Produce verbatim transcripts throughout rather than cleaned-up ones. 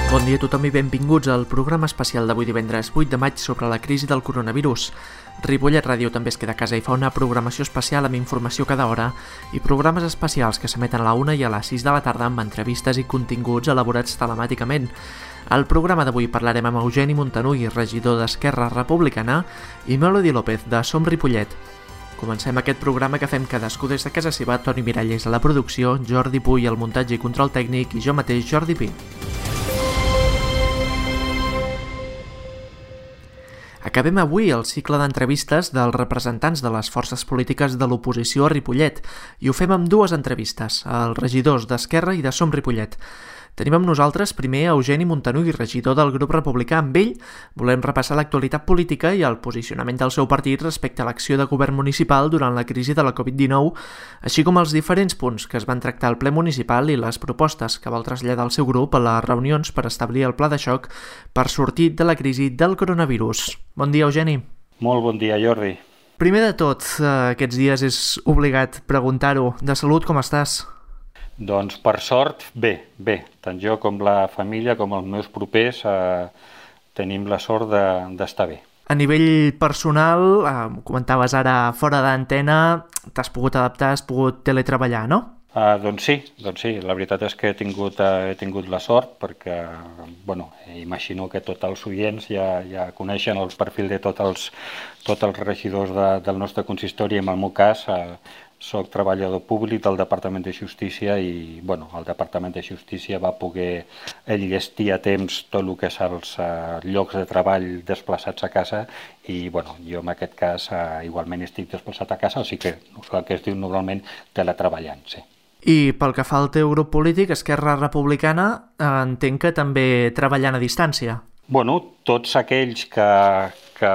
Bon dia a tothom i benvinguts al programa especial d'avui divendres vuit de maig sobre la crisi del coronavirus. Ripollet Ràdio també es queda a casa i fa una programació especial amb informació cada hora i programes especials que s'emeten a la una i a les sis de la tarda amb entrevistes i continguts elaborats telemàticament. Al programa d'avui parlarem amb Eugeni Montanui, regidor d'Esquerra Republicana, i Melody López, de Som Ripollet. Comencem aquest programa que fem cadascú des de casa seva, Toni Miralles a la producció, Jordi Puy al muntatge i control tècnic i jo mateix, Jordi Pi. Acabem avui el cicle d'entrevistes dels representants de les forces polítiques de l'oposició a Ripollet i ho fem amb dues entrevistes, als regidors d'Esquerra i de Som Ripollet. Tenim amb nosaltres primer Eugeni Montanui, regidor del grup republicà. Amb ell volem repassar l'actualitat política i el posicionament del seu partit respecte a l'acció de govern municipal durant la crisi de la covid dinou, així com els diferents punts que es van tractar al ple municipal i les propostes que vol traslladar el seu grup a les reunions per establir el pla de xoc per sortir de la crisi del coronavirus. Bon dia, Eugeni. Molt bon dia, Jordi. Primer de tot, aquests dies és obligat preguntar-ho. De salut, com estàs? Doncs per sort, bé, bé. Tant jo com la família, com els meus propers, eh, tenim la sort de, d'estar bé. A nivell personal, eh, comentaves ara fora d'antena, t'has pogut adaptar, has pogut teletreballar, no? Uh, doncs sí, doncs sí, la veritat és que he tingut, uh, he tingut la sort perquè, bueno, imagino que tots els oients ja, ja coneixen el perfil de tots els, tots els regidors de, del nostre consistori. En el meu cas, uh, soc treballador públic del Departament de Justícia i, bueno, el Departament de Justícia va poder enllestir a temps tot el que és els uh, llocs de treball desplaçats a casa i, bueno, jo en aquest cas uh, igualment estic desplaçat a casa, o sigui que el que es diu normalment teletreballant, sí. I pel que fa al teu grup polític, Esquerra Republicana, entenc que també treballant a distància. Bueno, tots aquells que, que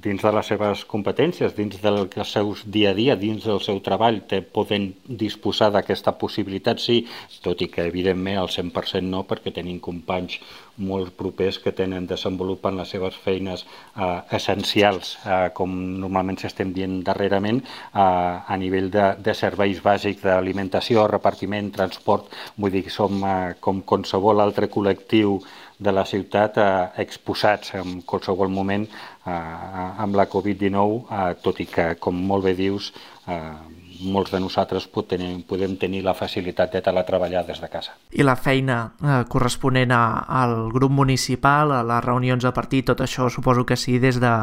dins de les seves competències, dins del seu dia a dia, dins del seu treball, te poden disposar d'aquesta possibilitat, sí, tot i que evidentment al cent per cent no, perquè tenim companys molt propers que tenen desenvolupant les seves feines eh, essencials, eh, com normalment s'estem dient darrerament, eh, a nivell de, de serveis bàsics d'alimentació, repartiment, transport, vull dir que som eh, com qualsevol altre col·lectiu de la ciutat eh, exposats en qualsevol moment eh, amb la covid dinou, eh, tot i que, com molt bé dius, eh, molts de nosaltres podem, podem tenir la facilitat de teletreballar des de casa. I la feina eh, corresponent a, al grup municipal, a les reunions de partit, tot això suposo que sí, des de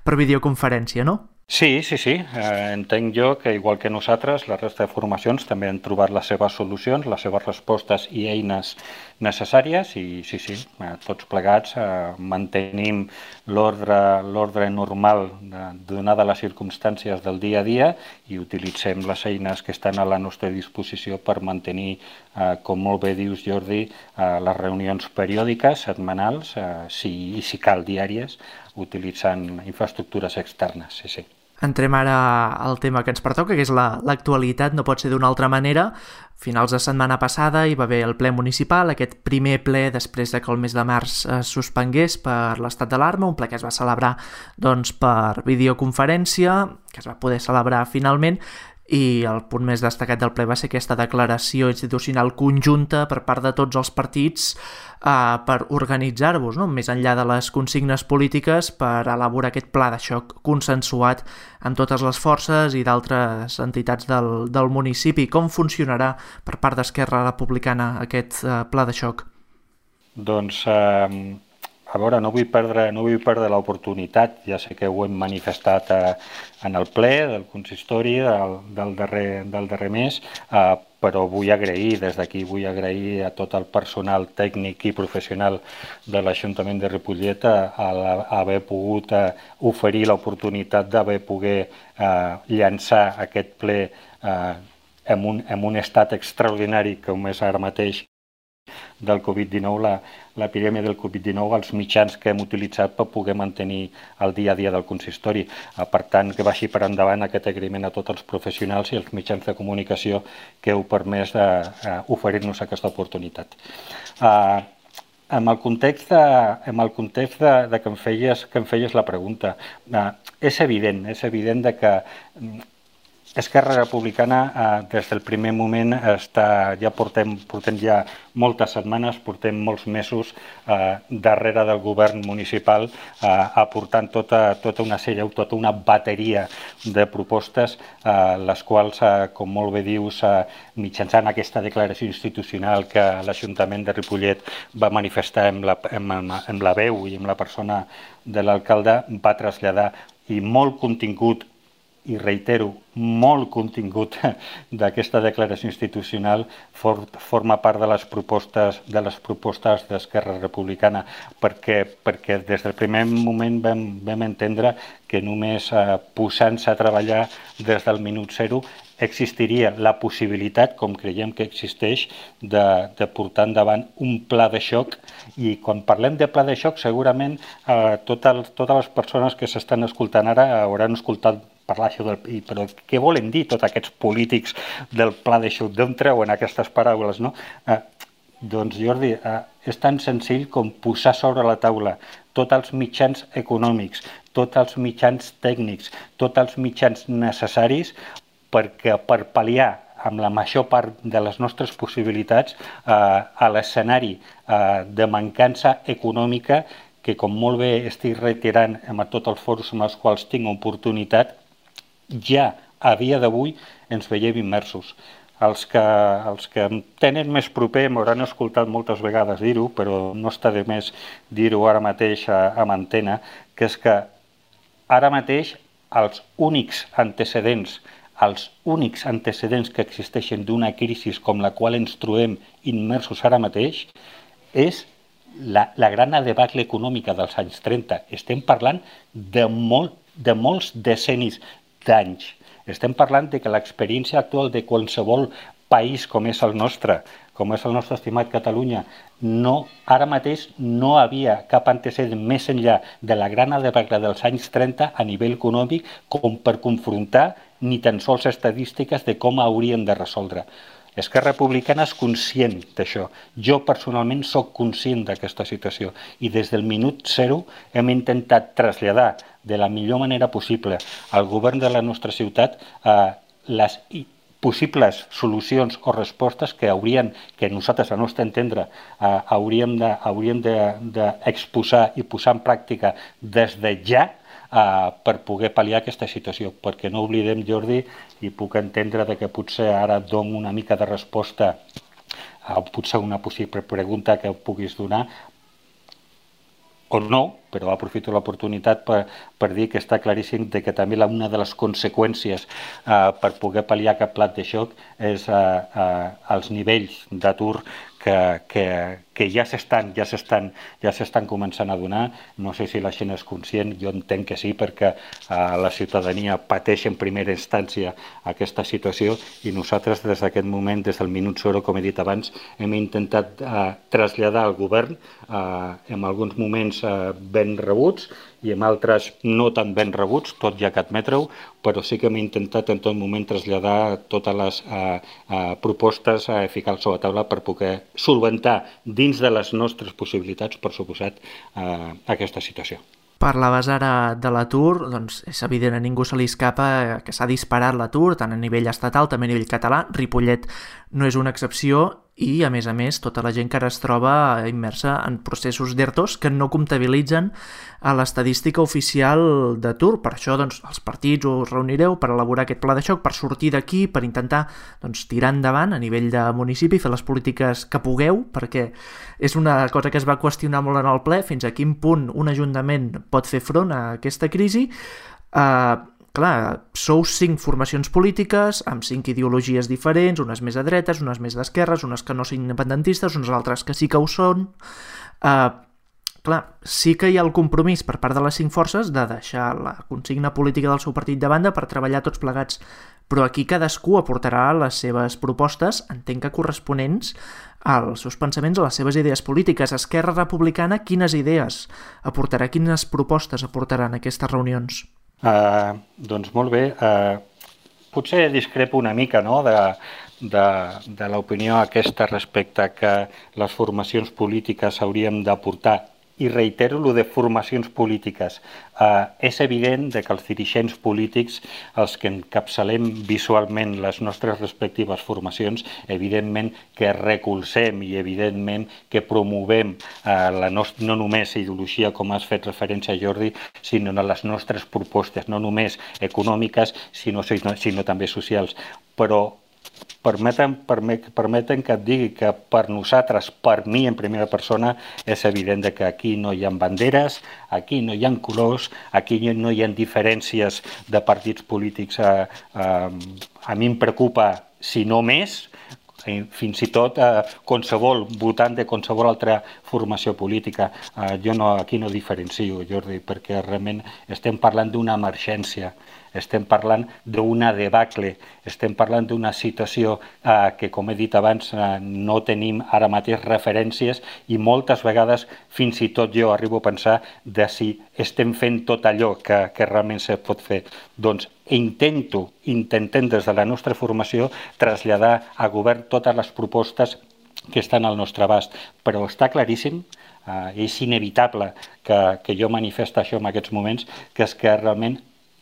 per videoconferència, no? Sí, sí, sí. Eh, entenc jo que, igual que nosaltres, la resta de formacions també han trobat les seves solucions, les seves respostes i eines necessàries i, sí, sí, eh, tots plegats eh, mantenim l'ordre, l'ordre normal de, donada les circumstàncies del dia a dia i utilitzem les eines que estan a la nostra disposició per mantenir, eh, com molt bé dius, Jordi, eh, les reunions periòdiques, setmanals, eh, si, i si cal diàries, utilitzant infraestructures externes, sí, sí. Entrem ara al tema que ens pertoca, que és la, l'actualitat, no pot ser d'una altra manera. Finals de setmana passada hi va haver el ple municipal, aquest primer ple després de que el mes de març es suspengués per l'estat d'alarma, un ple que es va celebrar doncs, per videoconferència, que es va poder celebrar finalment, i el punt més destacat del ple va ser aquesta declaració institucional conjunta per part de tots els partits eh, per organitzar-vos, no? Més enllà de les consignes polítiques, per elaborar aquest pla de xoc consensuat amb totes les forces i d'altres entitats del, del municipi. Com funcionarà per part d'Esquerra Republicana aquest eh, pla de xoc? Doncs... Eh... A veure, no vull perdre, no vull perdre l'oportunitat, ja sé que ho hem manifestat eh, en el ple del consistori del, del, darrer, del darrer mes, eh, però vull agrair, des d'aquí vull agrair a tot el personal tècnic i professional de l'Ajuntament de Ripollet a, a haver pogut eh, oferir l'oportunitat d'haver poder eh, llançar aquest ple eh, en, un, en un estat extraordinari com és ara mateix del covid dinou, la, l'epidèmia del covid dinou, els mitjans que hem utilitzat per poder mantenir el dia a dia del consistori. Per tant, que vagi per endavant aquest agraïment a tots els professionals i els mitjans de comunicació que heu permès d'oferir-nos aquesta oportunitat. Uh, en el context, de, en el context de, de que, em feies, que em feies la pregunta, uh, és evident, és evident de que Esquerra Republicana, eh, des del primer moment, està, ja portem, portem ja moltes setmanes, portem molts mesos eh, darrere del govern municipal eh, aportant tota, tota una sèrie, tota una bateria de propostes, eh, les quals, eh, com molt bé dius, eh, mitjançant aquesta declaració institucional que l'Ajuntament de Ripollet va manifestar amb la, amb, amb la veu i amb la persona de l'alcalde, va traslladar, i molt contingut, i reitero, molt contingut d'aquesta declaració institucional for, forma part de les propostes de les propostes d'Esquerra Republicana, perquè, perquè des del primer moment vam, vam entendre que només eh, posant-se a treballar des del minut zero existiria la possibilitat, com creiem que existeix, de, de portar endavant un pla de xoc. I quan parlem de pla de xoc, segurament eh, totes, totes les persones que s'estan escoltant ara hauran escoltat parlar això del... Però què volen dir tots aquests polítics del pla de xoc? D'on treuen aquestes paraules, no? Eh, doncs, Jordi, eh, és tan senzill com posar sobre la taula tots els mitjans econòmics, tots els mitjans tècnics, tots els mitjans necessaris perquè per pal·liar amb la major part de les nostres possibilitats eh, a l'escenari eh, de mancança econòmica que, com molt bé estic reiterant en tots els fòrums amb els quals tinc oportunitat, ja a dia d'avui ens veiem immersos. Els que, els que em tenen més proper m'hauran escoltat moltes vegades dir-ho, però no està de més dir-ho ara mateix a, a antena, que és que ara mateix els únics antecedents els únics antecedents que existeixen d'una crisi com la qual ens trobem immersos ara mateix és la, la gran debacle econòmica dels anys trenta. Estem parlant de, molt, de molts decennis d'anys. Estem parlant de que l'experiència actual de qualsevol país com és el nostre, com és el nostre estimat Catalunya, no, ara mateix no havia cap antecedent més enllà de la gran debacle dels anys trenta a nivell econòmic com per confrontar ni tan sols estadístiques de com hauríem de resoldre. Esquerra Republicana és conscient d'això. Jo personalment sóc conscient d'aquesta situació i des del minut zero hem intentat traslladar de la millor manera possible al govern de la nostra ciutat eh, les possibles solucions o respostes que haurien, que nosaltres, al nostre entendre, eh, hauríem de, hauríem d'exposar i posar en pràctica des de ja Uh, per poder pal·liar aquesta situació, perquè no oblidem, Jordi, i puc entendre de que potser ara dono una mica de resposta a potser una possible pregunta que puguis donar, o no, però aprofito l'oportunitat per, per dir que està claríssim de que també la, una de les conseqüències uh, per poder pal·liar aquest plat de xoc és uh, uh, els nivells d'atur que, que, que ja s'estan ja s'estan ja s'estan començant a donar. No sé si la gent és conscient, jo entenc que sí, perquè eh, la ciutadania pateix en primera instància aquesta situació i nosaltres des d'aquest moment, des del minut zero, com he dit abans, hem intentat eh, traslladar al govern eh, en alguns moments eh, ben rebuts i en altres no tan ben rebuts, tot ja que admetre-ho, però sí que hem intentat en tot moment traslladar totes les eh, eh, propostes a ficar sobre la taula per poder solventar dins de les nostres possibilitats, per suposat, eh, aquesta situació. Parlaves ara de l'atur, doncs és evident, a ningú se li escapa que s'ha disparat l'atur, tant a nivell estatal, també a nivell català. Ripollet no és una excepció i, a més a més, tota la gent que ara es troba immersa en processos d'ERTOs que no comptabilitzen a l'estadística oficial d'atur. Per això, doncs, els partits us reunireu per elaborar aquest pla de xoc, per sortir d'aquí, per intentar doncs, tirar endavant a nivell de municipi, fer les polítiques que pugueu, perquè és una cosa que es va qüestionar molt en el ple, fins a quin punt un ajuntament pot fer front a aquesta crisi. Uh, clar, sou cinc formacions polítiques amb cinc ideologies diferents, unes més a dretes, unes més d'esquerres, unes que no són independentistes, unes altres que sí que ho són. Uh, clar, sí que hi ha el compromís per part de les cinc forces de deixar la consigna política del seu partit de banda per treballar tots plegats, però aquí cadascú aportarà les seves propostes, entenc que corresponents als seus pensaments, a les seves idees polítiques. Esquerra Republicana, quines idees aportarà, quines propostes aportarà en aquestes reunions? Uh, doncs molt bé, uh, potser discrepo una mica, no?, de, de, de l'opinió aquesta respecte que les formacions polítiques hauríem d'aportar i reitero lo de formacions polítiques. Uh, és evident que els dirigents polítics, els que encapçalem visualment les nostres respectives formacions, evidentment que recolzem i evidentment que promovem uh, la nostra, no només ideologia, com has fet referència, Jordi, sinó les nostres propostes, no només econòmiques, sinó, sinó, sinó també socials. Però Permeten, permeten que et digui que per nosaltres, per mi en primera persona, és evident que aquí no hi ha banderes, aquí no hi ha colors, aquí no hi ha diferències de partits polítics. A, a, a mi em preocupa, si no més, fins i tot eh, qualsevol votant de qualsevol altra formació política. Eh, jo no, aquí no diferencio, Jordi, perquè realment estem parlant d'una emergència, estem parlant d'una debacle, estem parlant d'una situació eh, que, com he dit abans, eh, no tenim ara mateix referències i moltes vegades fins i tot jo arribo a pensar de si estem fent tot allò que, que realment se pot fer. Doncs intento, intentem des de la nostra formació traslladar a govern totes les propostes que estan al nostre abast, però està claríssim, eh, és inevitable que, que jo manifesti això en aquests moments, que és que realment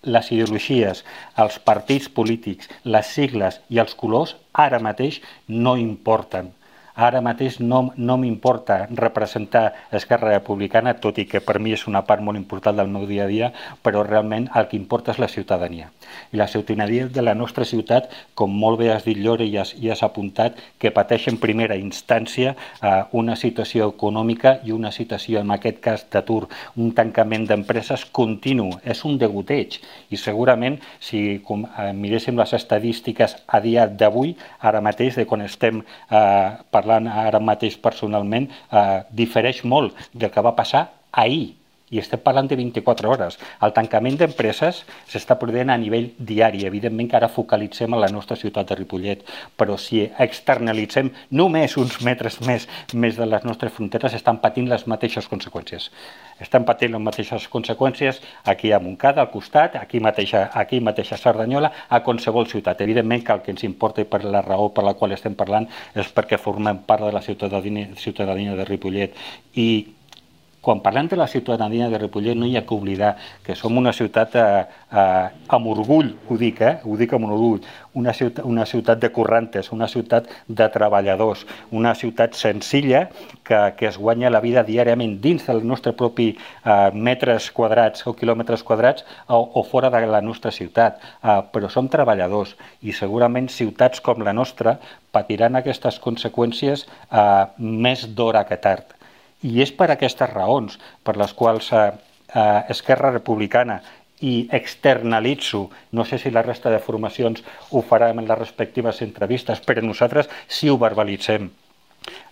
les ideologies, els partits polítics, les sigles i els colors ara mateix no importen. Ara mateix no, no m'importa representar Esquerra Republicana, tot i que per mi és una part molt important del meu dia a dia, però realment el que importa és la ciutadania. I la ciutadania de la nostra ciutat, com molt bé has dit, Llore, i has, i has apuntat, que pateix en primera instància eh, una situació econòmica i una situació, en aquest cas, d'atur, un tancament d'empreses continu. És un degoteig. I segurament, si com, eh, miréssim les estadístiques a dia d'avui, ara mateix, de quan estem eh, parlant ara mateix personalment, eh, difereix molt del que va passar ahir. I estem parlant de vint-i-quatre hores. El tancament d'empreses s'està produint a nivell diari. Evidentment que ara focalitzem a la nostra ciutat de Ripollet, però si externalitzem només uns metres més, més de les nostres fronteres, estan patint les mateixes conseqüències. Estan patint les mateixes conseqüències aquí a Montcada, al costat, aquí mateix, aquí mateix a Cerdanyola, a qualsevol ciutat. Evidentment que el que ens importa i per la raó per la qual estem parlant és perquè formem part de la ciutadania, ciutadania de Ripollet. I quan parlem de la ciutadania de Ripollet no hi ha que oblidar que som una ciutat eh, eh, amb orgull, ho dic, eh? ho dic amb un orgull, una ciutat, una ciutat de currantes, una ciutat de treballadors, una ciutat senzilla que, que es guanya la vida diàriament dins del nostre propi eh, metres quadrats o quilòmetres quadrats o, o fora de la nostra ciutat, eh, però som treballadors i segurament ciutats com la nostra patiran aquestes conseqüències eh, més d'hora que tard. I és per aquestes raons per les quals eh, eh, Esquerra Republicana i externalitzo, no sé si la resta de formacions ho farem en les respectives entrevistes, però nosaltres sí ho verbalitzem.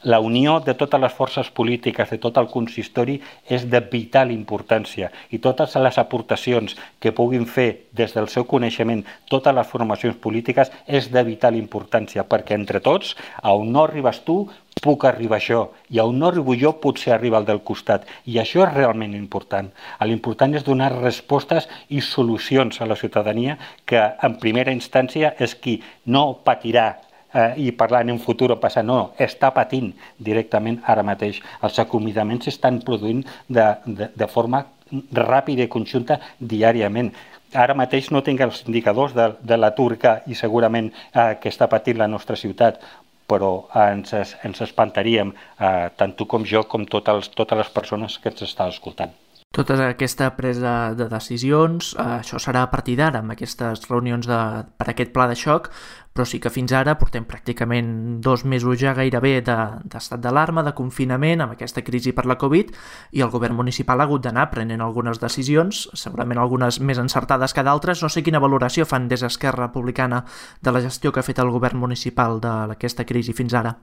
La unió de totes les forces polítiques, de tot el consistori, és de vital importància i totes les aportacions que puguin fer des del seu coneixement totes les formacions polítiques és de vital importància, perquè entre tots, a on no arribes tu, puc arribar jo, i a on no arribo jo potser arriba el del costat, i això és realment important. L'important és donar respostes i solucions a la ciutadania que en primera instància és qui no patirà eh, i parlar en un futur o passat, no, està patint directament ara mateix. Els acomiadaments s'estan produint de, de, de forma ràpida i conjunta diàriament. Ara mateix no tinc els indicadors de, de l'atur que i segurament eh, que està patint la nostra ciutat, però ens, ens espantaríem, eh, tant tu com jo, com totes, totes les persones que ens estan escoltant. Tota aquesta presa de decisions, eh, això serà a partir d'ara, amb aquestes reunions de, per aquest pla de xoc, però sí que fins ara portem pràcticament dos mesos ja gairebé d'estat de, d'alarma, de confinament, amb aquesta crisi per la Covid, i el govern municipal ha hagut d'anar prenent algunes decisions, segurament algunes més encertades que d'altres. No sé quina valoració fan des d'Esquerra Republicana de la gestió que ha fet el govern municipal d'aquesta crisi fins ara.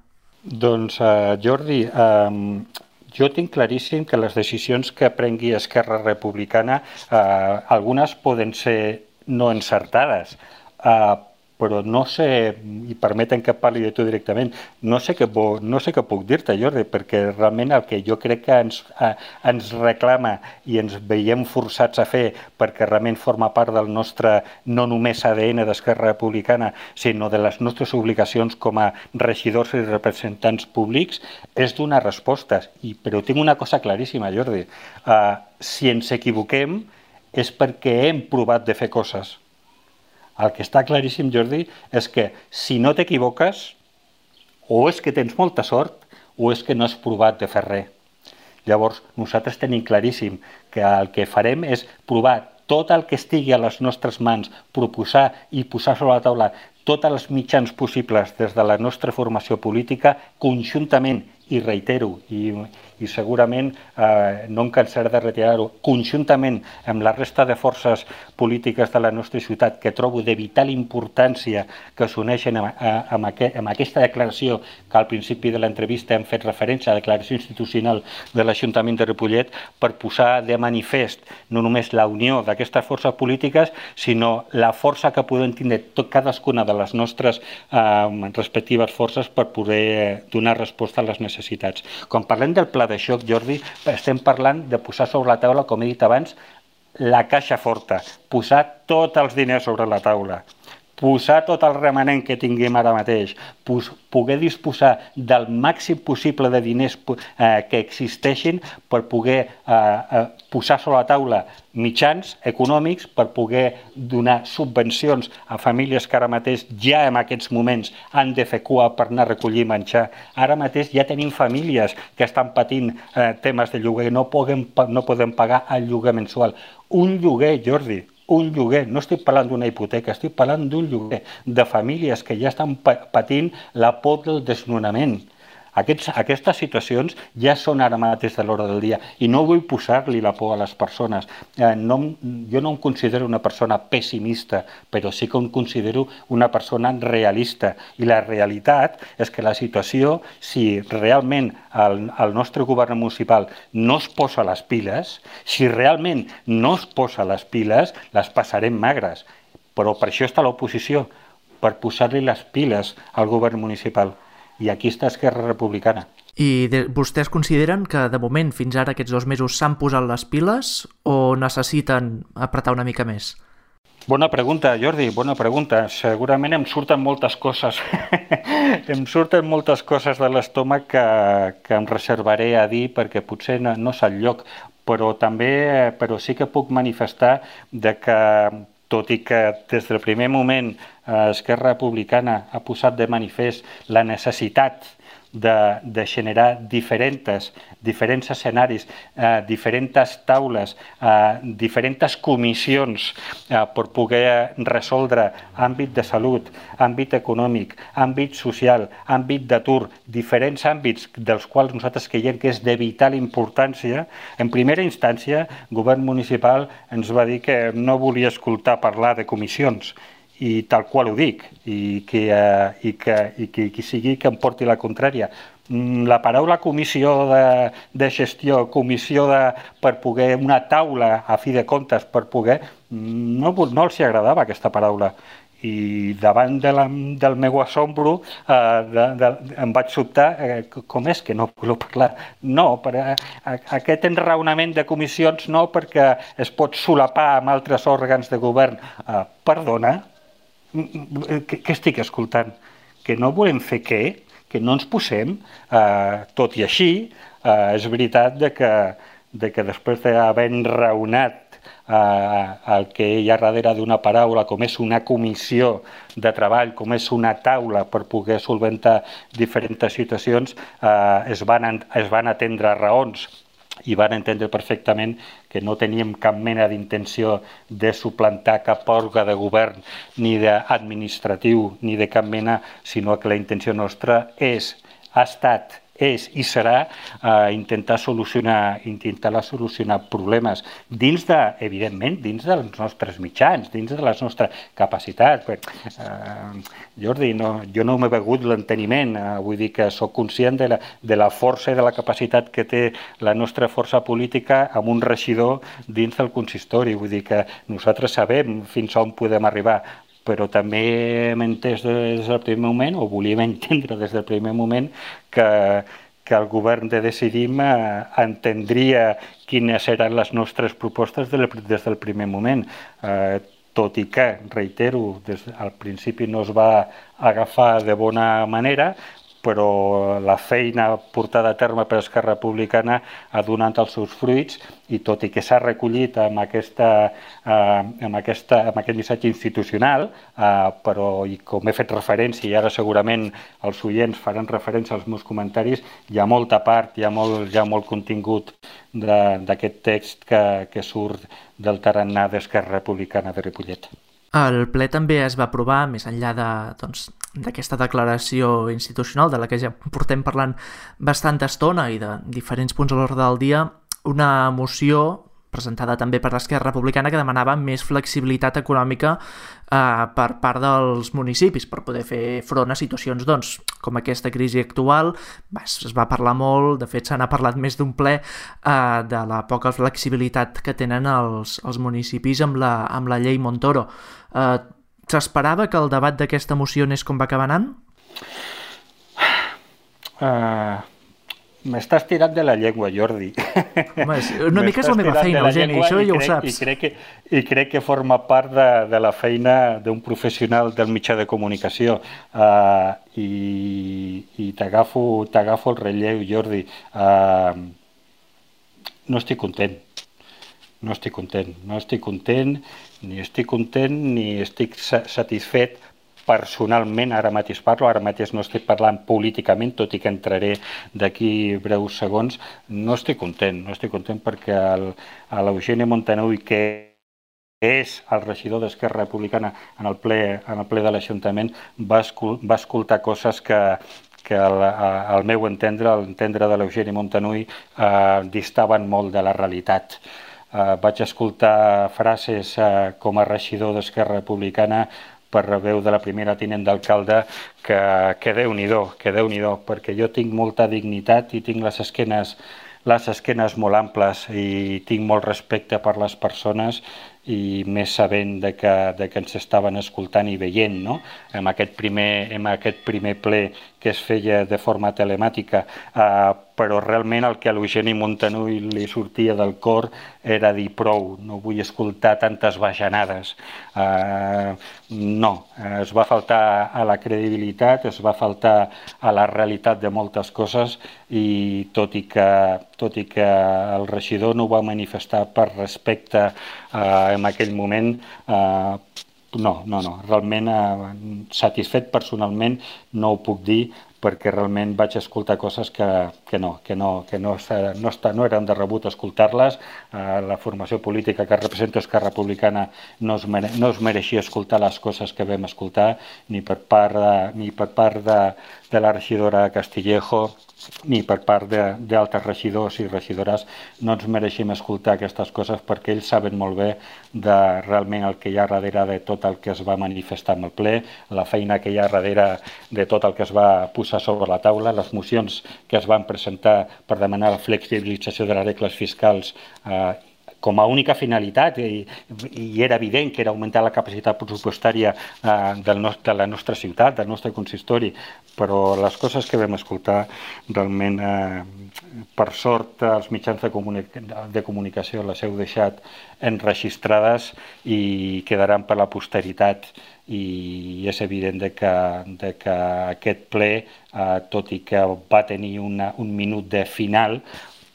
Doncs, uh, Jordi, uh, jo tinc claríssim que les decisions que prengui Esquerra Republicana, eh, algunes poden ser no encertades, eh, però no sé, i permeten que parli de tu directament, no sé què, no sé què puc dir-te, Jordi, perquè realment el que jo crec que ens, eh, ens reclama i ens veiem forçats a fer, perquè realment forma part del nostre, no només A D N d'Esquerra Republicana, sinó de les nostres obligacions com a regidors i representants públics, és donar respostes. I, però tinc una cosa claríssima, Jordi. Eh, si ens equivoquem és perquè hem provat de fer coses. El que està claríssim, Jordi, és que si no t'equivoques, o és que tens molta sort, o és que no has provat de fer res. Llavors, nosaltres tenim claríssim que el que farem és provar tot el que estigui a les nostres mans, proposar i posar sobre la taula tots els mitjans possibles des de la nostra formació política, conjuntament, i reitero, i, i segurament eh, no em cansaré de retirar-ho, conjuntament amb la resta de forces polítiques de la nostra ciutat que trobo de vital importància que s'uneixen amb, amb, aquest, amb aquesta declaració que al principi de l'entrevista hem fet referència a la declaració institucional de l'Ajuntament de Ripollet, per posar de manifest no només la unió d'aquestes forces polítiques, sinó la força que podem tindre tot, cadascuna de les nostres eh, respectives forces per poder donar resposta a les necessitats. Quan parlem del pla de xoc, Jordi, estem parlant de posar sobre la taula, com he dit abans, la caixa forta, posar tots els diners sobre la taula, posar tot el remanent que tinguem ara mateix, poder disposar del màxim possible de diners eh, que existeixin per poder eh, posar sobre la taula mitjans econòmics per poder donar subvencions a famílies que ara mateix ja en aquests moments han de fer cua per anar a recollir menjar. Ara mateix ja tenim famílies que estan patint eh, temes de lloguer, no poden, no poden pagar el lloguer mensual. Un lloguer, Jordi, un lloguer, no estic parlant d'una hipoteca, estic parlant d'un lloguer de famílies que ja estan patint la por del desnonament. Aquests, aquestes situacions ja són ara mateix de l'hora del dia i no vull posar-li la por a les persones. Eh, no, jo no em considero una persona pessimista, però sí que em considero una persona realista. I la realitat és que la situació, si realment el, el nostre govern municipal no es posa les piles, si realment no es posa les piles, les passarem magres. Però per això està l'oposició, per posar-li les piles al govern municipal. I aquí està Esquerra Republicana. I de, vostès consideren que de moment fins ara aquests dos mesos s'han posat les piles o necessiten apretar una mica més? Bona pregunta, Jordi, bona pregunta. Segurament em surten moltes coses. em surten moltes coses de l'estómac que, que em reservaré a dir perquè potser no, no és el lloc, però també però sí que puc manifestar de que tot i que des del primer moment Esquerra Republicana ha posat de manifest la necessitat de, de generar diferents, diferents escenaris, eh, diferents taules, eh, diferents comissions eh, per poder resoldre àmbit de salut, àmbit econòmic, àmbit social, àmbit d'atur, diferents àmbits dels quals nosaltres creiem que és de vital importància. En primera instància, el govern municipal ens va dir que no volia escoltar parlar de comissions, i tal qual ho dic, i que, eh, i que, i que qui sigui que em porti la contrària. La paraula comissió de, de gestió, comissió de, per poder, una taula a fi de comptes per poder, no, no els agradava aquesta paraula. I davant de la, del meu assombro eh, de, de, em vaig sobtar eh, com és que no voleu parlar? No, per, eh, aquest enraonament de comissions no, perquè es pot solapar amb altres òrgans de govern. Eh, perdona, què, què estic escoltant? Que no volem fer què? Que no ens posem? Eh, tot i així, eh, és veritat de que, de que després d'haver enraonat Eh, el que hi ha darrere d'una paraula, com és una comissió de treball, com és una taula per poder solventar diferents situacions, eh, es, van, es van atendre raons i van entendre perfectament que no teníem cap mena d'intenció de suplantar cap òrgan de govern ni d'administratiu ni de cap mena, sinó que la intenció nostra és, ha estat, és i serà eh, intentar solucionar intentar solucionar problemes dins de, evidentment, dins dels nostres mitjans, dins de les nostres capacitats. Eh, Jordi, no, jo no m'he begut l'enteniment, eh, vull dir que sóc conscient de la, de la força i de la capacitat que té la nostra força política amb un regidor dins del consistori, vull dir que nosaltres sabem fins on podem arribar, però també hem entès des del primer moment, o volíem entendre des del primer moment, que, que el govern de Decidim eh, entendria quines eren les nostres propostes des del primer moment. Eh, tot i que, reitero, des, al principi no es va agafar de bona manera, però la feina portada a terme per Esquerra Republicana ha donat els seus fruits i tot i que s'ha recollit amb, aquesta, eh, amb, aquesta, amb aquest missatge institucional, eh, però i com he fet referència i ara segurament els oients faran referència als meus comentaris, hi ha molta part, hi ha molt, hi ha molt contingut d'aquest text que, que surt del tarannà d'Esquerra Republicana de Ripollet. El ple també es va aprovar, més enllà de, doncs, d'aquesta declaració institucional de la que ja portem parlant bastanta estona i de diferents punts a l'ordre del dia, una moció presentada també per l'Esquerra Republicana que demanava més flexibilitat econòmica eh, per part dels municipis per poder fer front a situacions doncs, com aquesta crisi actual. Es va parlar molt, de fet se n'ha parlat més d'un ple, eh, de la poca flexibilitat que tenen els, els municipis amb la, amb la llei Montoro. Eh, S'esperava que el debat d'aquesta moció anés com va acabar anant? Uh, M'estàs tirant de la llengua, Jordi. Home, una mica és la meva feina, Eugeni, això ja ho saps. I crec que, i crec que forma part de, de la feina d'un professional del mitjà de comunicació. Uh, I i t'agafo t'agafo el relleu, Jordi. Uh, no estic content. No estic content. No estic content, ni estic content, ni estic satisfet personalment. Ara mateix parlo, ara mateix no estic parlant políticament, tot i que entraré d'aquí breus segons. No estic content, no estic content perquè l'Eugeni Montanui, que és el regidor d'Esquerra Republicana en el ple, en el ple de l'Ajuntament, va, escol va escoltar coses que, que al, al meu entendre, al entendre de l'Eugeni Montanui, eh, distaven molt de la realitat. Uh, vaig escoltar frases uh, com a regidor d'Esquerra Republicana per veu de la primera tinent d'alcalde que, que Déu-n'hi-do, que Déu-n'hi-do, perquè jo tinc molta dignitat i tinc les esquenes, les esquenes molt amples i tinc molt respecte per les persones i més sabent de que, de que ens estaven escoltant i veient, no? En aquest primer, en aquest primer ple que es feia de forma telemàtica, eh, però realment el que a l'Eugeni Montanui li sortia del cor era dir prou, no vull escoltar tantes bajanades. Eh, no, es va faltar a la credibilitat, es va faltar a la realitat de moltes coses i tot i que, tot i que el regidor no ho va manifestar per respecte eh, en aquell moment, eh, no, no, no, realment eh, satisfet personalment no ho puc dir perquè realment vaig escoltar coses que, que no, que no, que no, no, està, no eren de rebut escoltar-les. Eh, la formació política que representa Esquerra Republicana no es, mere, no es mereixia escoltar les coses que vam escoltar, ni per part de, ni per part de, de la regidora Castillejo, ni per part d'altres regidors i regidores. No ens mereixem escoltar aquestes coses perquè ells saben molt bé de realment el que hi ha darrere de tot el que es va manifestar en el ple, la feina que hi ha darrere de tot el que es va posar sobre la taula, les mocions que es van presentar per demanar la flexibilització de les regles fiscals eh, com a única finalitat, i, i era evident que era augmentar la capacitat pressupostària eh, del nostre, de la nostra ciutat, del nostre consistori, però les coses que vam escoltar realment, eh, per sort, els mitjans de, comunica de comunicació les heu deixat enregistrades i quedaran per la posteritat, i és evident de que, de que aquest ple, eh, tot i que va tenir una, un minut de final,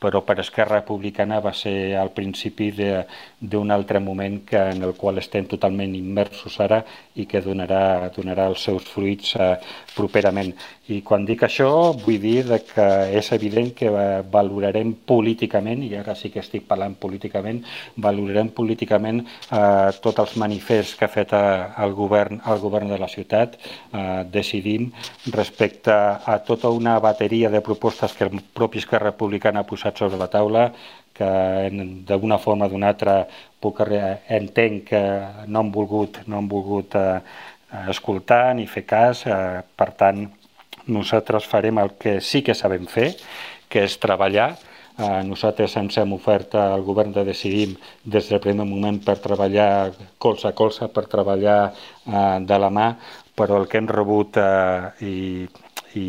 però per Esquerra Republicana va ser al principi d'un altre moment que, en el qual estem totalment immersos ara i que donarà, donarà els seus fruits eh, properament. I quan dic això vull dir que és evident que valorarem políticament, i ara sí que estic parlant políticament, valorarem políticament eh, tots els manifests que ha fet el govern, el govern de la ciutat, eh, Decidim, respecte a tota una bateria de propostes que el propi Esquerra Republicana ha posat sobre la taula, que d'una forma o d'una altra puc, entenc que no han volgut, no han volgut eh, escoltar ni fer cas. Eh, per tant, nosaltres farem el que sí que sabem fer, que és treballar, Eh, nosaltres ens hem ofert al govern de Decidim des del primer moment per treballar colze a colze, per treballar eh, de la mà, però el que hem rebut eh, i, i,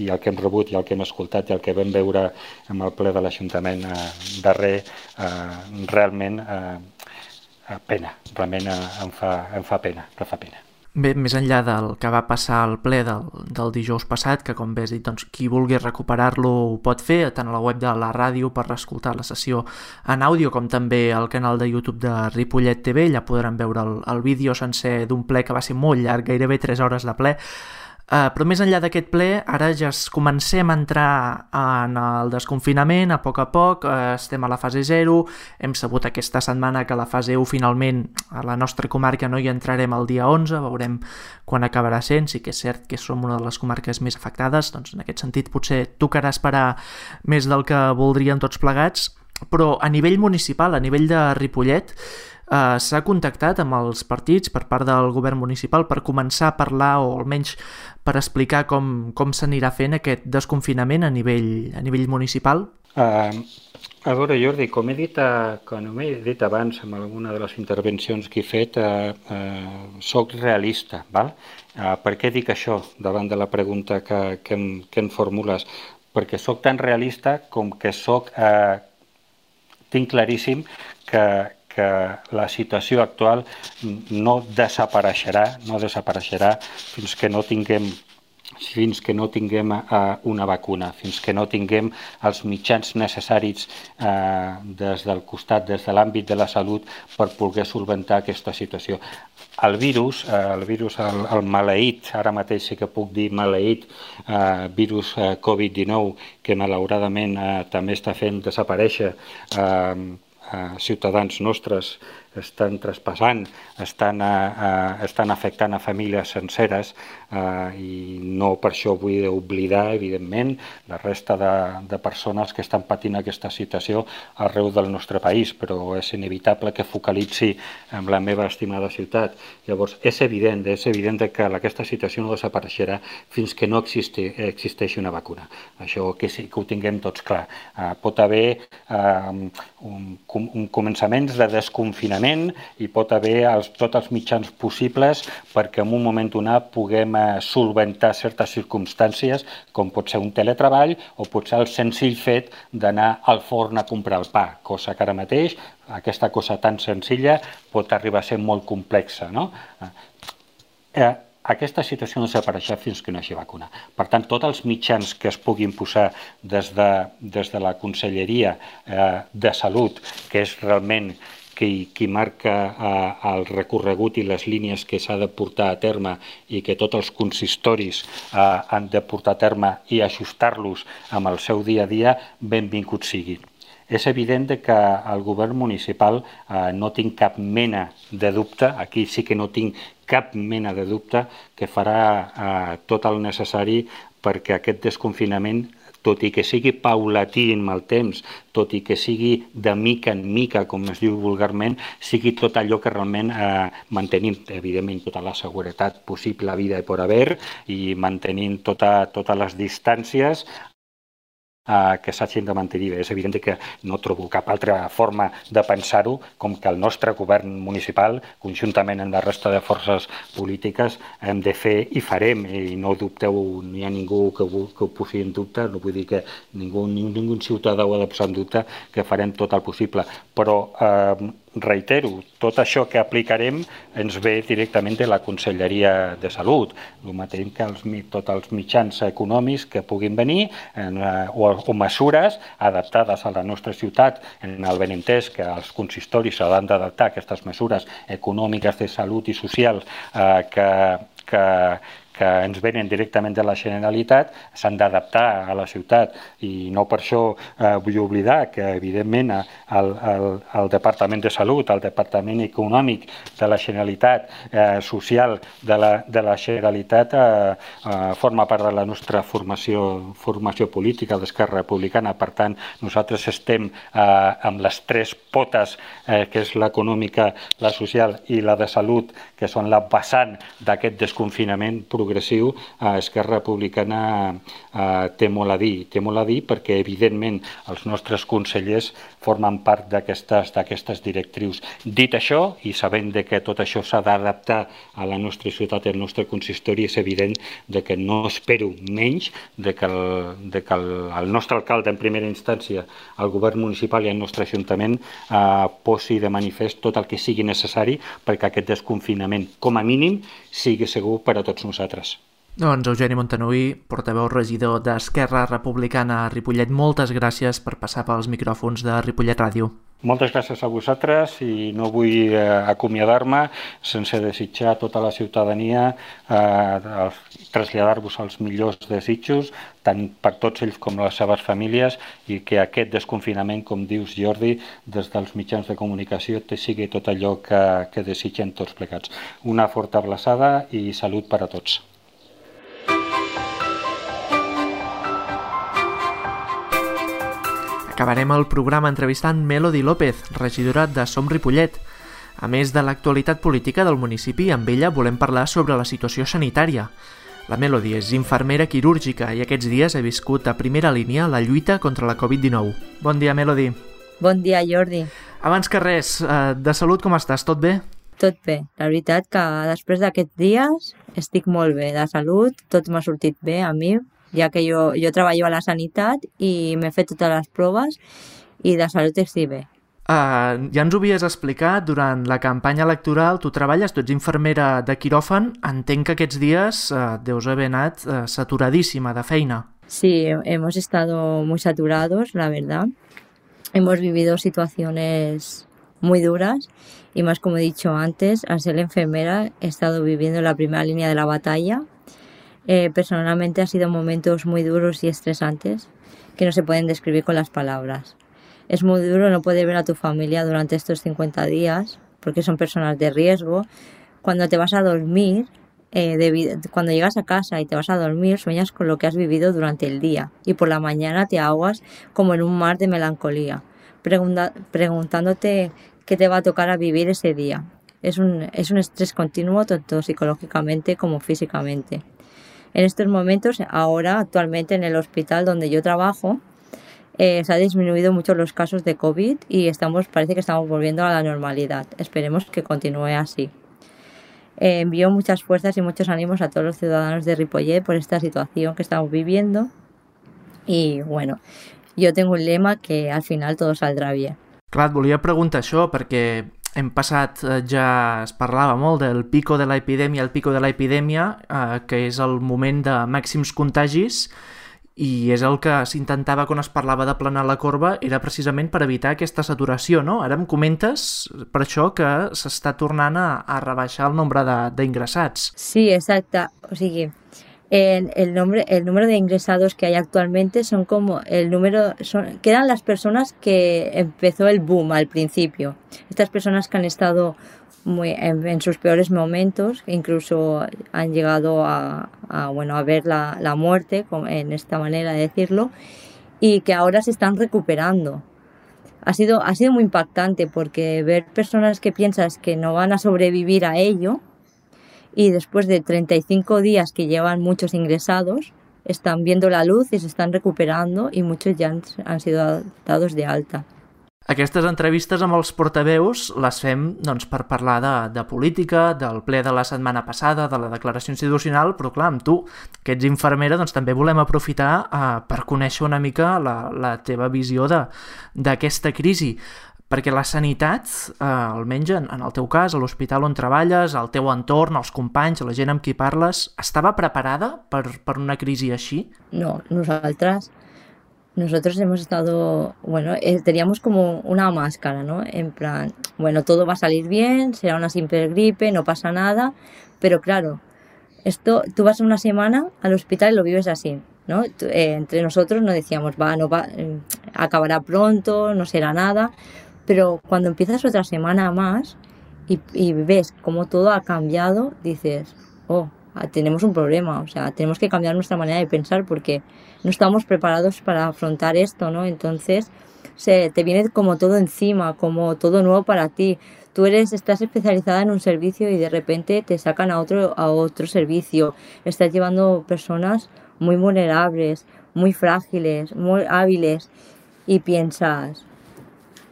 i el que hem rebut i el que hem escoltat i el que vam veure amb el ple de l'Ajuntament eh, darrer, eh, realment eh, pena, realment eh, em, fa, em fa pena, em fa pena. Bé, més enllà del que va passar al ple del, del dijous passat, que com bé has dit, doncs, qui vulgui recuperar-lo ho pot fer, tant a la web de la ràdio per escoltar la sessió en àudio, com també al canal de YouTube de Ripollet T V, allà podran veure el, el vídeo sencer d'un ple que va ser molt llarg, gairebé tres hores de ple. Uh, però més enllà d'aquest ple, ara ja es comencem a entrar en el desconfinament a poc a poc, uh, estem a la fase zero, hem sabut aquesta setmana que la fase u finalment a la nostra comarca no hi entrarem el dia onze, veurem quan acabarà sent, sí que és cert que som una de les comarques més afectades, doncs en aquest sentit potser tocarà esperar més del que voldrien tots plegats, però a nivell municipal, a nivell de Ripollet, Uh, s'ha contactat amb els partits per part del govern municipal per començar a parlar o almenys per explicar com, com s'anirà fent aquest desconfinament a nivell, a nivell municipal? Uh, a veure, Jordi, com he dit, uh, com he dit abans en alguna de les intervencions que he fet, uh, uh, soc realista, val? Uh, per què dic això davant de la pregunta que, que, em, que em formules? Perquè soc tan realista com que soc, uh, tinc claríssim que que la situació actual no desapareixerà, no desapareixerà fins que no tinguem fins que no tinguem uh, una vacuna, fins que no tinguem els mitjans necessaris uh, des del costat, des de l'àmbit de la salut per poder solventar aquesta situació. El virus, uh, el virus, el, el maleït, ara mateix sí que puc dir maleït, uh, virus uh, covid dinou, que malauradament uh, també està fent desaparèixer uh, Uh, ciutadans nostres, estan traspassant, estan, uh, uh, estan afectant a famílies senceres uh, i no per això vull oblidar, evidentment, la resta de, de persones que estan patint aquesta situació arreu del nostre país, però és inevitable que focalitzi en la meva estimada ciutat. Llavors, és evident, és evident que aquesta situació no desapareixerà fins que no existi, existeixi una vacuna. Això que, sí, que ho tinguem tots clar. Uh, pot haver uh, un, un començaments de desconfinament i pot haver els, tots els mitjans possibles perquè en un moment donat puguem eh, solventar certes circumstàncies com pot ser un teletreball o pot ser el senzill fet d'anar al forn a comprar el pa, cosa que ara mateix aquesta cosa tan senzilla pot arribar a ser molt complexa, no? Eh, Aquesta situació no desapareixerà fins que no hi hagi vacuna. Per tant, tots els mitjans que es puguin posar des de, des de la Conselleria eh, de Salut, que és realment qui, qui marca eh, el recorregut i les línies que s'ha de portar a terme i que tots els consistoris eh, han de portar a terme i ajustar-los amb el seu dia a dia, benvingut sigui. És evident que el govern municipal eh, no tinc cap mena de dubte, aquí sí que no tinc cap mena de dubte, que farà eh, tot el necessari perquè aquest desconfinament, tot i que sigui paulatí en el temps, tot i que sigui de mica en mica, com es diu vulgarment, sigui tot allò que realment eh, mantenim, evidentment, tota la seguretat possible a vida i per haver, i mantenint tota, totes les distàncies Uh, que s'hagin de mantenir. És evident que no trobo cap altra forma de pensar-ho com que el nostre govern municipal, conjuntament amb la resta de forces polítiques, hem de fer i farem, i no dubteu, no hi ha ningú que ho, que ho posi en dubte, no vull dir que ningú, ningú, ningú ciutadà ho ha de posar en dubte, que farem tot el possible. Però eh, reitero, tot això que aplicarem ens ve directament de la Conselleria de Salut, el mateix que els, tots els mitjans econòmics que puguin venir en, o, o mesures adaptades a la nostra ciutat, en el benentès que els consistoris s'han d'adaptar a aquestes mesures econòmiques de salut i socials eh, que, que que ens venen directament de la Generalitat, s'han d'adaptar a la ciutat i no per això eh, vull oblidar que evidentment el, el, el Departament de Salut, el Departament Econòmic de la Generalitat, eh, social de la, de la Generalitat eh, eh, forma part de la nostra formació, formació política d'Esquerra Republicana. Per tant, nosaltres estem eh, amb les tres potes, eh, que és l'econòmica, la social i la de salut, que són la vessant d'aquest desconfinament progressiu progressiu, eh, Esquerra Republicana eh, té molt a dir. Té molt a dir perquè, evidentment, els nostres consellers formen part d'aquestes d'aquestes directrius. Dit això, i sabent de que tot això s'ha d'adaptar a la nostra ciutat i al nostre consistori, és evident de que no espero menys de que el, de que el, el nostre alcalde, en primera instància, el govern municipal i el nostre ajuntament eh, posi de manifest tot el que sigui necessari perquè aquest desconfinament, com a mínim, sigui segur per a tots nosaltres. Doncs Eugeni Montanui, portaveu regidor d'Esquerra Republicana a Ripollet, moltes gràcies per passar pels micròfons de Ripollet Ràdio. Moltes gràcies a vosaltres i no vull eh, acomiadar-me sense desitjar a tota la ciutadania, eh, traslladar-vos els millors desitjos, tant per tots ells com les seves famílies, i que aquest desconfinament, com dius Jordi, des dels mitjans de comunicació te sigui tot allò que, que desitgen tots plegats. Una forta abraçada i salut per a tots. Acabarem el programa entrevistant Melody López, regidora de Som Ripollet. A més de l'actualitat política del municipi, amb ella volem parlar sobre la situació sanitària. La Melody és infermera quirúrgica i aquests dies ha viscut a primera línia la lluita contra la covid dinou. Bon dia, Melody. Bon dia, Jordi. Abans que res, de salut com estàs? Tot bé? Tot bé. La veritat que després d'aquests dies estic molt bé. De salut, tot m'ha sortit bé a mi, ja que jo, jo treballo a la sanitat i m'he fet totes les proves i de salut estic bé. Uh, ja ens ho havies explicat durant la campanya electoral, tu treballes, tu ets infermera de quiròfan, entenc que aquests dies uh, deus haver anat uh, saturadíssima de feina. Sí, hemos estado muy saturados, la verdad. Hemos vivido situaciones muy duras y más, como he dicho antes, al ser enfermera he estado viviendo la primera línea de la batalla. Eh, personalmente ha sido momentos muy duros y estresantes que no se pueden describir con las palabras. Es muy duro no poder ver a tu familia durante estos cincuenta días porque son personas de riesgo. Cuando te vas a dormir, eh, debido, cuando llegas a casa y te vas a dormir, sueñas con lo que has vivido durante el día y por la mañana te ahogas como en un mar de melancolía, pregunta, preguntándote qué te va a tocar a vivir ese día. Es un, es un estrés continuo tanto psicológicamente como físicamente. En estos momentos, ahora actualmente en el hospital donde yo trabajo, eh, se ha disminuido mucho los casos de COVID y estamos, parece que estamos volviendo a la normalidad. Esperemos que continúe así. Eh, envío muchas fuerzas y muchos ánimos a todos los ciudadanos de Ripollet por esta situación que estamos viviendo. Y bueno, yo tengo un lema que al final todo saldrá bien. Clar, et volia preguntar això perquè hem passat, ja es parlava molt del pico de l'epidèmia, el pico de l'epidèmia, eh, que és el moment de màxims contagis, i és el que s'intentava quan es parlava d'aplanar la corba, era precisament per evitar aquesta saturació, no? Ara em comentes per això que s'està tornant a, a rebaixar el nombre d'ingressats. Sí, exacte. O sigui, el, el, nombre, el número de ingresados que hay actualmente son como el número, son, quedan las personas que empezó el boom al principio. Estas personas que han estado muy, en, en sus peores momentos, incluso han llegado a, a, bueno, a ver la, la muerte, en esta manera de decirlo, y que ahora se están recuperando. Ha sido, ha sido muy impactante porque ver personas que piensas que no van a sobrevivir a ello, y después de treinta y cinco días que llevan muchos ingresados, están viendo la luz i s'estan recuperando i muchos ja han, han sido dados de alta. Aquestes entrevistes amb els portaveus les fem doncs, per parlar de, de política, del ple de la setmana passada, de la declaració institucional, però clar, amb tu, que ets infermera, doncs també volem aprofitar eh, per conèixer una mica la, la teva visió d'aquesta crisi. Perquè la sanitat, eh, almenys en, en el teu cas, a l'hospital on treballes, al teu entorn, els companys, la gent amb qui parles, estava preparada per, per una crisi així? No, nosaltres, nosotros hemos estado, bueno, eh, teníamos como una máscara, ¿no? En plan, bueno, todo va a salir bien, será una simple gripe, no pasa nada, pero claro, esto, tú vas una semana al hospital y lo vives así, ¿no? Eh, entre nosotros nos decíamos, va, no va, eh, acabará pronto, no será nada. Pero cuando empiezas otra semana más y, y ves cómo todo ha cambiado, dices, oh, tenemos un problema, o sea, tenemos que cambiar nuestra manera de pensar porque no estamos preparados para afrontar esto, ¿no? Entonces se te viene como todo encima, como todo nuevo para ti. Tú eres, estás especializada en un servicio y de repente te sacan a otro, a otro servicio. Estás llevando personas muy vulnerables, muy frágiles, muy hábiles y piensas,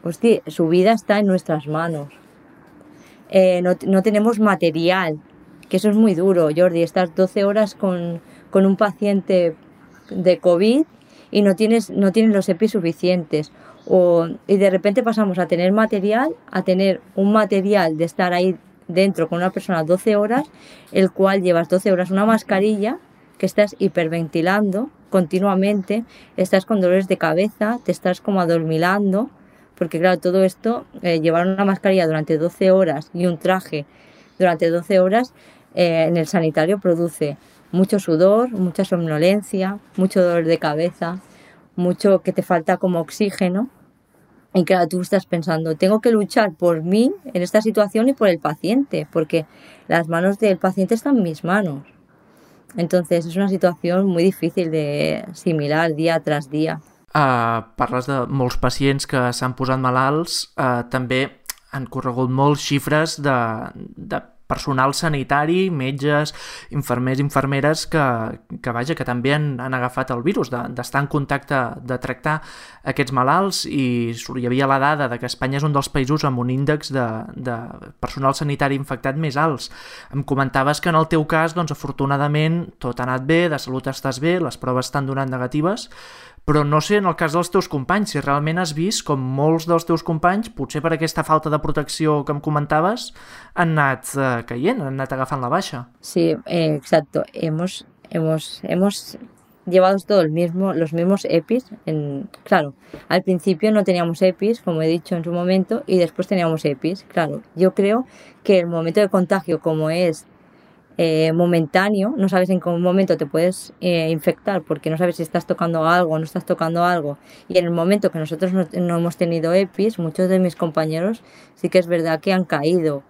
hostia, su vida está en nuestras manos. Eh, no, no tenemos material, que eso es muy duro, Jordi, estás doce horas con, con un paciente de COVID y no tienes, no tienes los EPIs suficientes. O, y de repente pasamos a tener material, a tener un material de estar ahí dentro con una persona doce horas, el cual llevas doce horas una mascarilla, que estás hiperventilando continuamente, estás con dolores de cabeza, te estás como adormilando, porque claro, todo esto, eh, llevar una mascarilla durante doce horas y un traje durante doce horas eh, en el sanitario produce mucho sudor, mucha somnolencia, mucho dolor de cabeza, mucho que te falta como oxígeno. Y claro, tú estás pensando, tengo que luchar por mí en esta situación y por el paciente, porque las manos del paciente están en mis manos. Entonces és una situació molt difícil de assimilar dia tras dia. Uh, parles de molts pacients que s'han posat malalts, uh, també han corregut molts xifres de, de personal sanitari, metges, infermers, infermeres que, que vaja, que també han, han agafat el virus, d'estar de, en contacte, de tractar aquests malalts, i hi havia la dada de que Espanya és un dels països amb un índex de, de personal sanitari infectat més alts. Em comentaves que en el teu cas, doncs, afortunadament, tot ha anat bé, de salut estàs bé, les proves estan donant negatives, però no sé en el cas dels teus companys, si realment has vist com molts dels teus companys, potser per aquesta falta de protecció que em comentaves, han anat eh, caient, han anat agafant la baixa. Sí, eh, exacto. Hemos, hemos, hemos llevado todos mismo, los mismos EPIs. En, claro, al principio no teníamos EPIs, como he dicho en su momento, y después teníamos EPIs. Claro, yo creo que el momento de contagio, como es Eh, momentáneo, no sabes en qué momento te puedes eh, infectar porque no sabes si estás tocando algo o no estás tocando algo, y en el momento que nosotros no, no hemos tenido EPIs, muchos de mis compañeros sí que es verdad que han caído,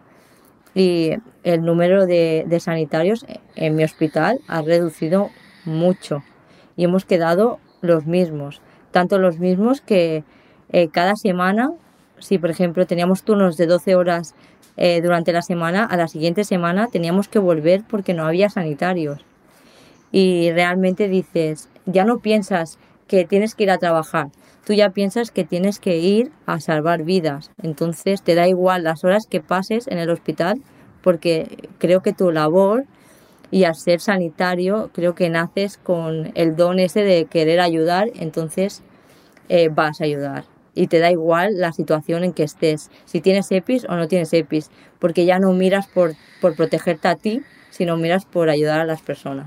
y el número de, de sanitarios en mi hospital ha reducido mucho y hemos quedado los mismos, tanto los mismos que eh, cada semana, si por ejemplo teníamos turnos de doce horas Eh, durante la semana, a la siguiente semana teníamos que volver porque no había sanitarios. Y realmente dices, ya no piensas que tienes que ir a trabajar, tú ya piensas que tienes que ir a salvar vidas. Entonces te da igual las horas que pases en el hospital, porque creo que tu labor, y al ser sanitario, creo que naces con el don ese de querer ayudar, entonces eh, vas a ayudar. Y te da igual la situación en que estés, si tienes EPIs o no tienes EPIs, porque ja no mires por, por protegerte a ti, sinó mires por ajudar a les persones.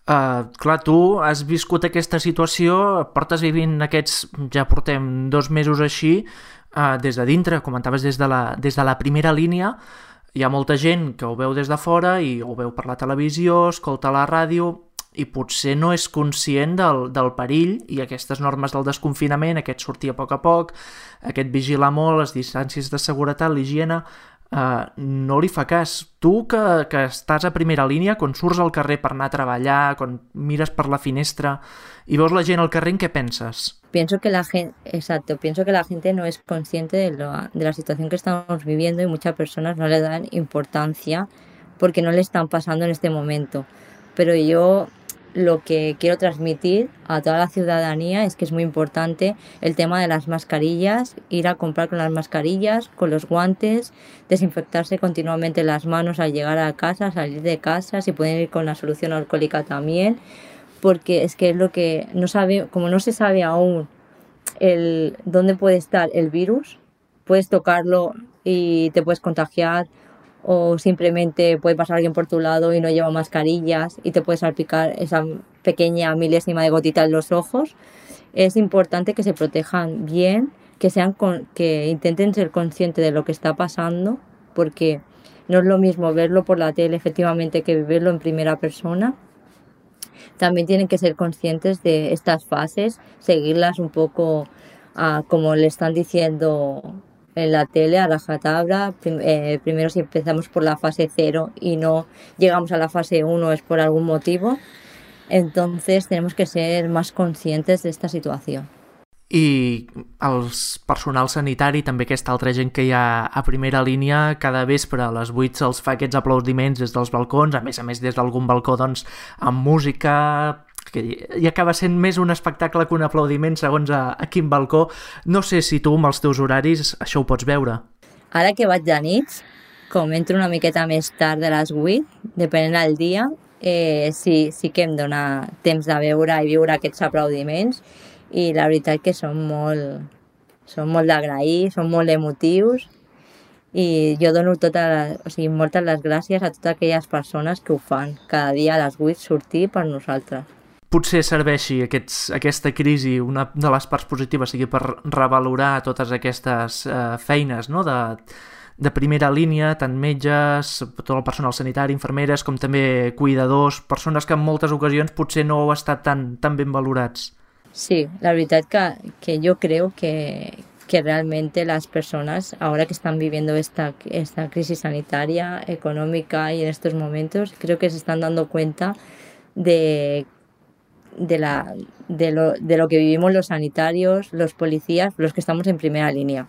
Uh, clar, tu has viscut aquesta situació, portes vivint aquests, ja portem dos mesos així, uh, des de dintre, comentaves des de, la, des de la primera línia. Hi ha molta gent que ho veu des de fora i ho veu per la televisió, escolta la ràdio, i potser no és conscient del, del perill, i aquestes normes del desconfinament, aquest sortir a poc a poc, aquest vigilar molt, les distàncies de seguretat, l'higiene, eh, no li fa cas. Tu que, que estàs a primera línia, quan surts al carrer per anar a treballar, quan mires per la finestra i veus la gent al carrer, en què penses? Pienso que la gente, exacto, pienso que la gente no es consciente de, lo, de la situación que estamos viviendo, y muchas personas no le dan importancia porque no le están pasando en este momento. Pero yo lo que quiero transmitir a toda la ciudadanía es que es muy importante el tema de las mascarillas, ir a comprar con las mascarillas, con los guantes, desinfectarse continuamente las manos al llegar a casa, salir de casa, si pueden ir con la solución alcohólica también, porque es que es lo que no sabe, como no se sabe aún el dónde puede estar el virus, puedes tocarlo y te puedes contagiar, o simplemente puede pasar alguien por tu lado y no lleva mascarillas y te puede salpicar esa pequeña milésima de gotita en los ojos. Es importante que se protejan bien, que sean con, que intenten ser conscientes de lo que está pasando, porque no es lo mismo verlo por la tele efectivamente que vivirlo en primera persona. También tienen que ser conscientes de estas fases, seguirlas un poco uh, como le están diciendo en la tele a rajatabla. Prim- eh, primero si empezamos por la fase cero y no llegamos a la fase uno es por algún motivo. Entonces tenemos que ser más conscientes de esta situación. I els personal sanitari, també aquesta altra gent que hi ha a primera línia, cada vespre a les vuit se'ls fa aquests aplaudiments des dels balcons, a més a més des d'algun balcó doncs amb música, que hi acaba sent més un espectacle que un aplaudiment segons a, a quin balcó. No sé si tu amb els teus horaris això ho pots veure. Ara que vaig de nits, com entro una miqueta més tard de les vuit, depenent del dia, eh, sí, sí que em dona temps de veure i viure aquests aplaudiments, i la veritat que són molt, són molt d'agrair, són molt emotius, i jo dono tota la, o sigui, moltes les gràcies a totes aquelles persones que ho fan cada dia a les vuit sortir per nosaltres. Potser serveixi aquests, aquesta crisi, una de les parts positives sigui per revalorar totes aquestes eh, feines, no?, de, de primera línia, tant metges, tot el personal sanitari, infermeres, com també cuidadors, persones que en moltes ocasions potser no heu estat tan, tan ben valorats. Sí, la verdad que, que yo creo que, que realmente las personas, ahora que están viviendo esta, esta crisis sanitaria, económica y en estos momentos, creo que se están dando cuenta de, de, la, de, lo, de lo que vivimos los sanitarios, los policías, los que estamos en primera línea.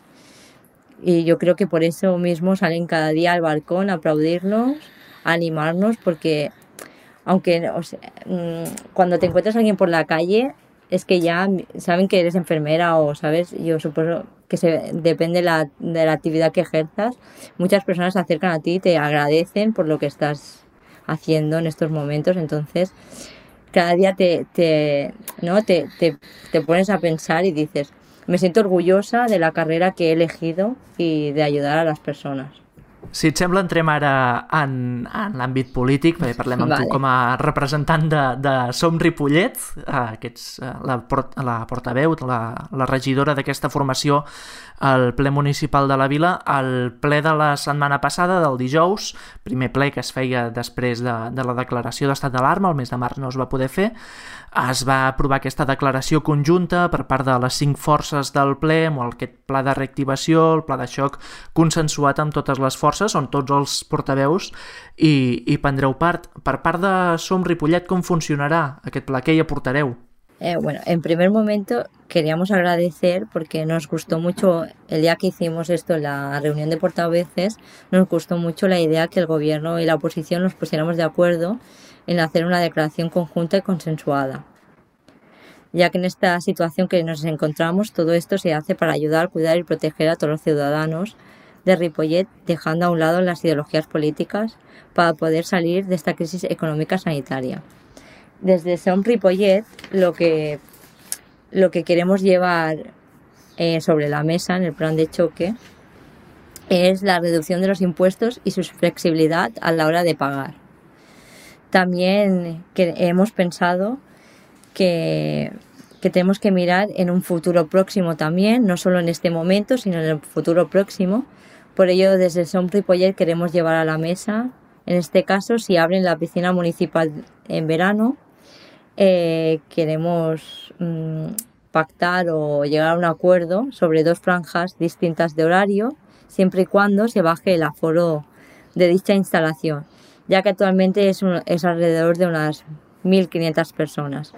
Y yo creo que por eso mismo salen cada día al balcón a aplaudirnos, a animarnos, porque aunque o sea, cuando te encuentras a alguien por la calle, es que ya saben que eres enfermera o, ¿sabes? Yo supongo que se, depende de la, de la actividad que ejerzas. Muchas personas se acercan a ti y te agradecen por lo que estás haciendo en estos momentos. Entonces, cada día te, te, ¿no? te, te, te pones a pensar y dices, me siento orgullosa de la carrera que he elegido y de ayudar a las personas. Si et sembla, entrem ara en, en l'àmbit polític, perquè parlem amb vale. Tu com a representant de, de Som Ripollet, eh, que ets eh, la, port, la portaveu, la, la regidora d'aquesta formació al ple municipal de la Vila. El ple de la setmana passada, del dijous, primer ple que es feia després de, de la declaració d'estat d'alarma, el mes de març no es va poder fer, es va aprovar aquesta declaració conjunta per part de les cinc forces del ple, amb aquest pla de reactivació, el pla de xoc consensuat amb totes les forces, on tots els portaveus i, i prendreu part. Per part de Som Ripollet, com funcionarà aquest pla? Què hi aportareu? Eh, bueno, en primer momento queríamos agradecer porque nos gustó mucho, el día que hicimos esto en la reunión de portavoces, nos gustó mucho la idea que el gobierno y la oposición nos pusiéramos de acuerdo en hacer una declaración conjunta y consensuada, ya que en esta situación que nos encontramos todo esto se hace para ayudar, cuidar y proteger a todos los ciudadanos de Ripollet, dejando a un lado las ideologías políticas para poder salir de esta crisis económica sanitaria. Desde Som Ripollet lo que, lo que queremos llevar eh, sobre la mesa en el plan de choque es la reducción de los impuestos y su flexibilidad a la hora de pagar. También que hemos pensado que, que tenemos que mirar en un futuro próximo también, no solo en este momento, sino en el futuro próximo. Por ello, desde Som Ripollet queremos llevar a la mesa, en este caso, si abren la piscina municipal en verano, eh, queremos mmm, pactar o llegar a un acuerdo sobre dos franjas distintas de horario, siempre y cuando se baje el aforo de dicha instalación, ya que actualmente es, un, es alrededor de unas mil quinientas personas.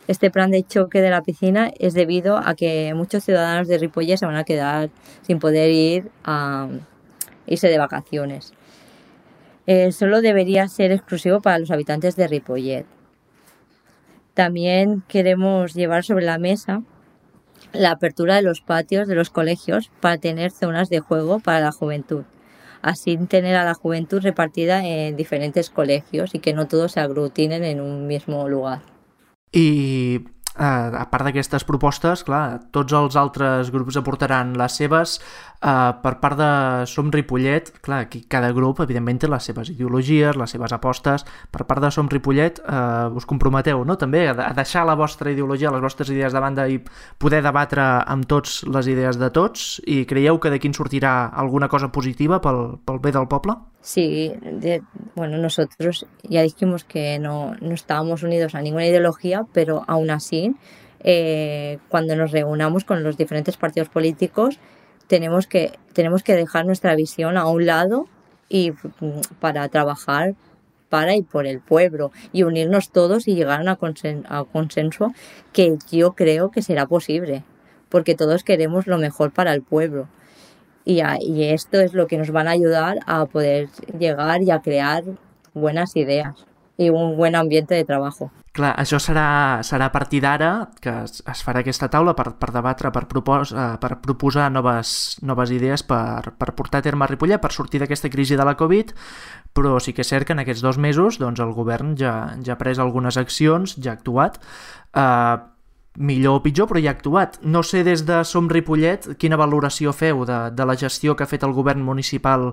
Este plan de choque de la piscina es debido a que muchos ciudadanos de Ripollet se van a quedar sin poder ir a irse de vacaciones. Eh, solo debería ser exclusivo para los habitantes de Ripollet. También queremos llevar sobre la mesa la apertura de los patios de los colegios para tener zonas de juego para la juventud. Así tener a la juventud repartida en diferentes colegios y que no todos se aglutinen en un mismo lugar. I eh, a part d'aquestes propostes, clar, tots els altres grups aportaran les seves. Eh, per part de Som Ripollet, clar, aquí cada grup evidentment té les seves ideologies, les seves apostes. Per part de Som Ripollet eh, us comprometeu, no?, també a, a deixar la vostra ideologia, les vostres idees de banda i poder debatre amb tots les idees de tots, i creieu que d'aquí en sortirà alguna cosa positiva pel, pel bé del poble? Sí, de, bueno, nosotros ya dijimos que no, no estábamos unidos a ninguna ideología, pero aún así, eh, cuando nos reunamos con los diferentes partidos políticos, tenemos que, tenemos que dejar nuestra visión a un lado y para trabajar para y por el pueblo y unirnos todos y llegar a, una consen- a un consenso que yo creo que será posible, porque todos queremos lo mejor para el pueblo. Y, a, y esto es lo que nos van a ayudar a poder llegar y a crear buenas ideas i un buen ambiente de treball. Clar, això serà, serà a partir d'ara que es, es farà aquesta taula per, per debatre, per, propos, uh, per proposar noves, noves idees per, per portar a terme a Ripollet, per sortir d'aquesta crisi de la Covid, però sí que és cert que en aquests dos mesos doncs, el govern ja, ja ha pres algunes accions, ja ha actuat, uh, millor o pitjor, però ja ha actuat. No sé des de Som Ripollet quina valoració feu de, de la gestió que ha fet el govern municipal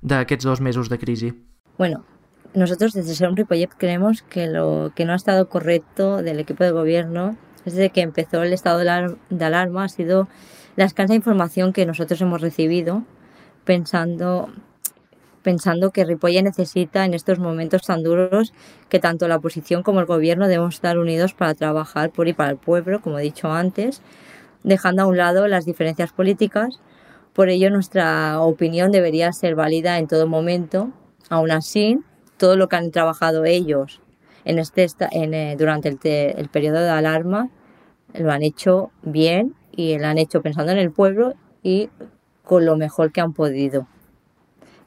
d'aquests dos mesos de crisi. Bueno, nosotros desde Som Ripollet creemos que lo que no ha estado correcto del equipo de gobierno desde que empezó el estado de alarma ha sido la escasa información que nosotros hemos recibido pensando, pensando que Ripollet necesita en estos momentos tan duros que tanto la oposición como el gobierno debemos estar unidos para trabajar por y para el pueblo, como he dicho antes, dejando a un lado las diferencias políticas. Por ello nuestra opinión debería ser válida en todo momento. Aún así, todo lo que han trabajado ellos en este, en, eh, durante el, te, el periodo de alarma lo han hecho bien y lo han hecho pensando en el pueblo y con lo mejor que han podido,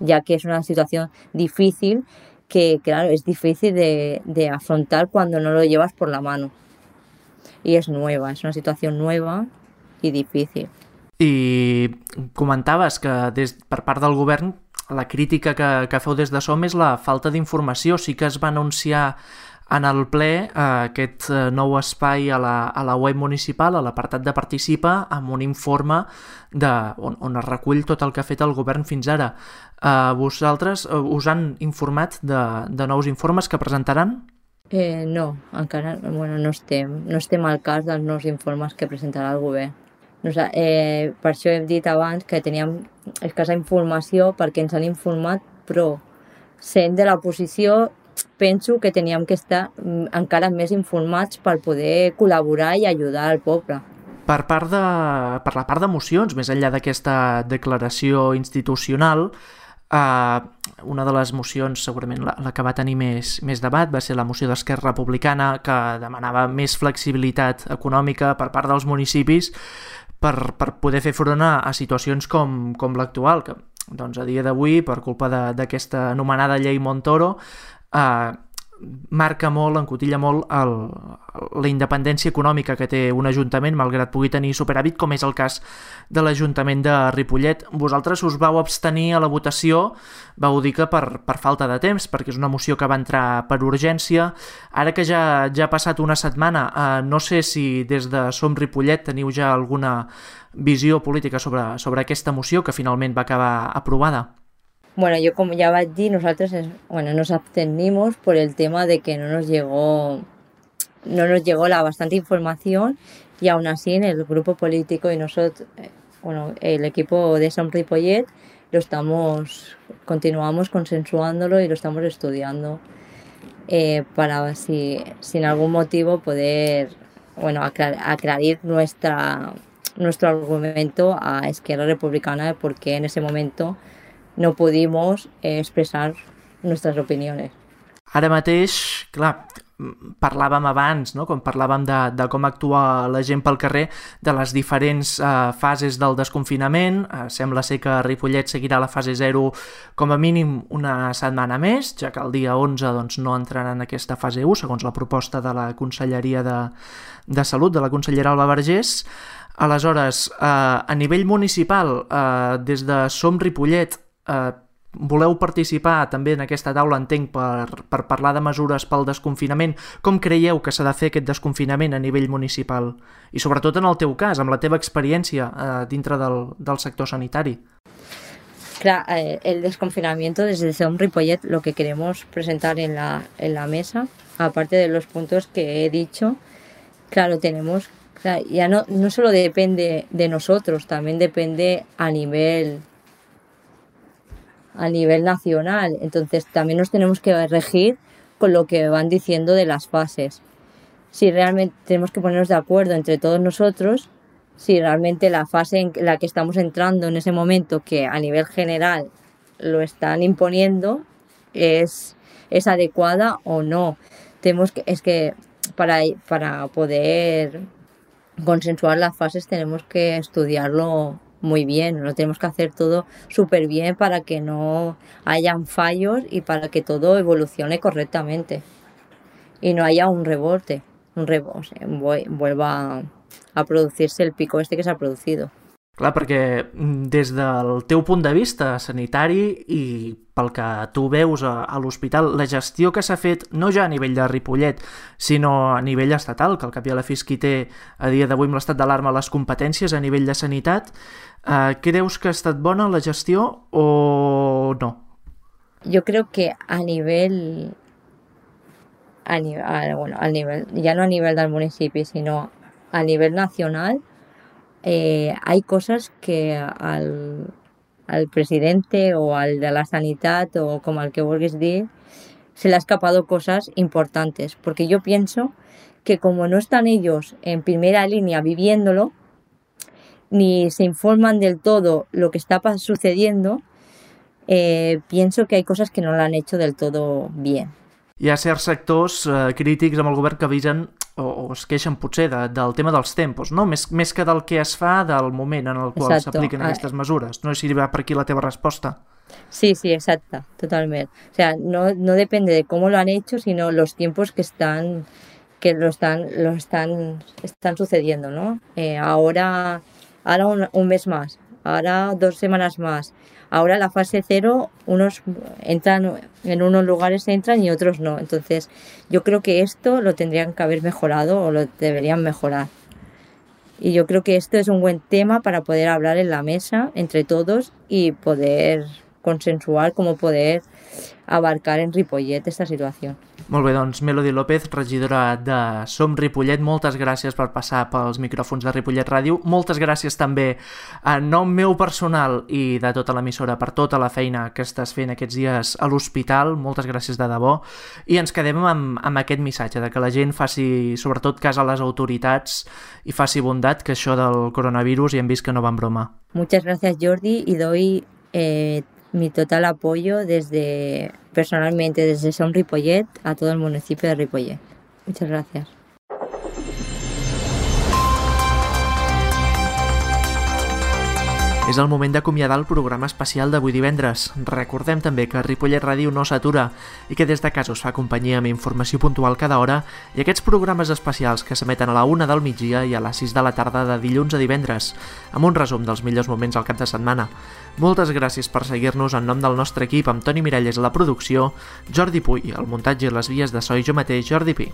ya que es una situación difícil que, claro, es difícil de, de afrontar cuando no lo llevas por la mano y es nueva, es una situación nueva y difícil. I comentaves que des, per part del govern la crítica que, que feu des de Som és la falta d'informació. Sí que es va anunciar en el ple eh, aquest nou espai a la, a la web municipal, a l'apartat de Participa, amb un informe de, on, on es recull tot el que ha fet el govern fins ara. Eh, vosaltres eh, us han informat de, de nous informes que presentaran? Eh, no, encara bueno, no, estem, no estem al cas dels nous informes que presentarà el govern. Nosa, eh, per això hem dit abans que teníem escassa informació perquè ens han informat, però sent de l'oposició penso que teníem que estar encara més informats per poder col·laborar i ajudar al poble. Per, part de, per la part d'emocions, més enllà d'aquesta declaració institucional, eh, una de les mocions, segurament la, la que va tenir més, més debat, va ser la moció d'Esquerra Republicana, que demanava més flexibilitat econòmica per part dels municipis per, per poder fer front a, a situacions com, com l'actual, que doncs, a dia d'avui, per culpa d'aquesta anomenada llei Montoro, eh, marca molt, encotilla molt el, la independència econòmica que té un ajuntament, malgrat pugui tenir superàvit, com és el cas de l'Ajuntament de Ripollet. Vosaltres us vau abstenir a la votació, vau dir que per, per falta de temps, perquè és una moció que va entrar per urgència. Ara que ja, ja ha passat una setmana, eh, no sé si des de Som Ripollet teniu ja alguna visió política sobre, sobre aquesta moció que finalment va acabar aprovada. Bueno, yo como ya vaig dir, nosotros bueno, nos abstenimos por el tema de que no nos llegó no nos llegó la bastante información y aún así en el grupo político y nosotros, bueno, el equipo de Som Ripollet lo estamos, continuamos consensuándolo y lo estamos estudiando eh, para si, si en algún motivo poder, bueno, aclar, aclarar nuestra, nuestro argumento a Esquerra Republicana de por qué en ese momento no pudimos eh, expressar nostres opinions. Ara mateix, clar, parlàvem abans, no? Com parlàvem de, de com actua la gent pel carrer, de les diferents eh, fases del desconfinament. Eh, sembla ser que Ripollet seguirà la fase zero com a mínim una setmana més, ja que el dia onze doncs, no entrarà en aquesta fase u, segons la proposta de la Conselleria de, de Salut, de la consellera Alba Vergés. Aleshores, eh, a nivell municipal, eh, des de Som Ripollet, Uh, voleu participar també en aquesta taula, entenc, per, per parlar de mesures pel desconfinament. Com creieu que s'ha de fer aquest desconfinament a nivell municipal? I sobretot en el teu cas, amb la teva experiència uh, dintre del, del sector sanitari. Claro, eh, el desconfinamiento desde Som Ripollet lo que queremos presentar en la, en la mesa, aparte de los puntos que he dicho, claro, tenemos, claro, ya no, no solo depende de nosotros, también depende a nivel a nivel nacional, entonces también nos tenemos que regir con lo que van diciendo de las fases. Si realmente tenemos que ponernos de acuerdo entre todos nosotros si realmente la fase en la que estamos entrando en ese momento, que a nivel general lo están imponiendo, es, es adecuada o no. Tenemos que, es que para, para poder consensuar las fases tenemos que estudiarlo muy bien, lo tenemos que hacer todo súper bien para que no hayan fallos y para que todo evolucione correctamente y no haya un rebote, un rebote, o sea, vuelva a producirse el pico este que s'ha producido. Clar, perquè des del teu punt de vista sanitari i pel que tu veus a, a l'hospital, la gestió que s'ha fet no ja a nivell de Ripollet, sinó a nivell estatal, que al cap i a la fi és qui té a dia d'avui amb l'estat d'alarma les competències a nivell de sanitat, eh, creus que ha estat bona la gestió o no? Yo creo que a nivel, a nivel, a, bueno, al nivel, ya no a nivel del municipio, sino a nivel nacional, Eh, hay cosas que al, al presidente o al de la sanidad o como al que vulguis dir se le ha escapado cosas importantes, porque yo pienso que como no están ellos en primera línea viviéndolo ni se informan del todo lo que está sucediendo, eh, pienso que hay cosas que no lo han hecho del todo bien. Hi ha certs sectors eh, crítics amb el govern que avisen o, o es queixen potser de, del tema dels tempos, no? Més, més que del que es fa del moment en el qual s'apliquen aquestes mesures. No sé si va per aquí la teva resposta. Sí, sí, exacta, totalmente. O sea, no, no depende de cómo lo han hecho, sino los tiempos que están que lo están lo están están sucediendo, ¿no? Eh, ahora ahora un, un mes más, ahora dos semanas más. Ahora la fase cero, unos entran en unos lugares entran y otros no. Entonces, yo creo que esto lo tendrían que haber mejorado o lo deberían mejorar. Y yo creo que esto es un buen tema para poder hablar en la mesa entre todos y poder consensuar cómo poder abarcar en Ripollet esta situació. Molt bé, doncs Melody López, regidora de Som Ripollet, moltes gràcies per passar pels micròfons de Ripollet Ràdio. Moltes gràcies també en nom meu personal i de tota l'emissora per tota la feina que estàs fent aquests dies a l'hospital. Moltes gràcies de debò. I ens quedem amb, amb aquest missatge de que la gent faci sobretot cas a les autoritats i faci bondat, que això del coronavirus ja hem vist que no va en broma. Muchas gracias, Jordi, y doy eh, mi total apoyo desde personalmente desde Som Ripollet a todo el municipio de Ripollet. Muchas gracias. És el moment d'acomiadar el programa especial d'avui divendres. Recordem també que Ripollet Ràdio no s'atura i que des de casa us fa companyia amb informació puntual cada hora i aquests programes especials que s'emeten a la una del migdia i a les sis de la tarda de dilluns a divendres, amb un resum dels millors moments al cap de setmana. Moltes gràcies per seguir-nos en nom del nostre equip, amb Toni Miralles a la producció, Jordi Puy al muntatge i les vies de so i jo mateix, Jordi Pi.